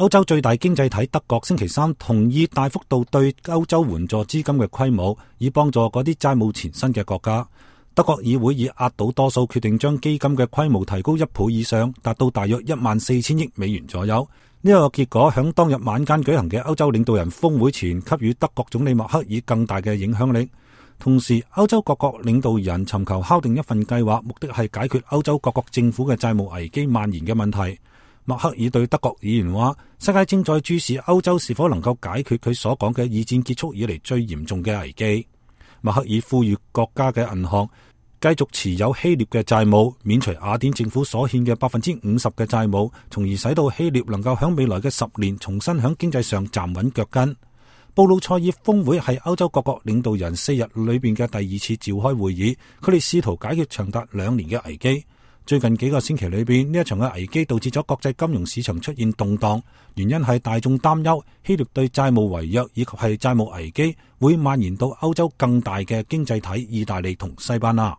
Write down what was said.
歐洲最大經濟體德國星期三同意大幅度對歐洲援助資金嘅規模，以幫助嗰啲債務纏身嘅國家。德國議會以壓倒多數決定將基金嘅規模提高1倍以上，達到大約14,000億美元左右。呢個結果響當日晚間舉行嘅歐洲領導人峰會前，給予德國總理默克爾更大嘅影響力。同時，歐洲各國領導人尋求敲定一份計劃，目的係解決歐洲各國政府嘅債務危機蔓延嘅問題。默克爾對德國議員話：世界正在注視歐洲是否能夠解決佢所講嘅二戰結束以嚟最嚴重嘅危機。默克爾呼籲國家嘅銀行繼續持有希臘嘅債務，免除雅典政府所欠嘅50%嘅債務，從而使到希臘能夠喺未來嘅10年重新喺經濟上站穩腳跟。布魯塞爾峰會係歐洲各國領導人4日裏邊嘅第2次召開會議，佢哋試圖解決長達2年嘅危機。最近幾個星期裏邊，呢一場嘅危機導致咗國際金融市場出現動盪，原因係大眾擔憂希臘對債務違約以及係債務危機會蔓延到歐洲更大嘅經濟體意大利同西班牙。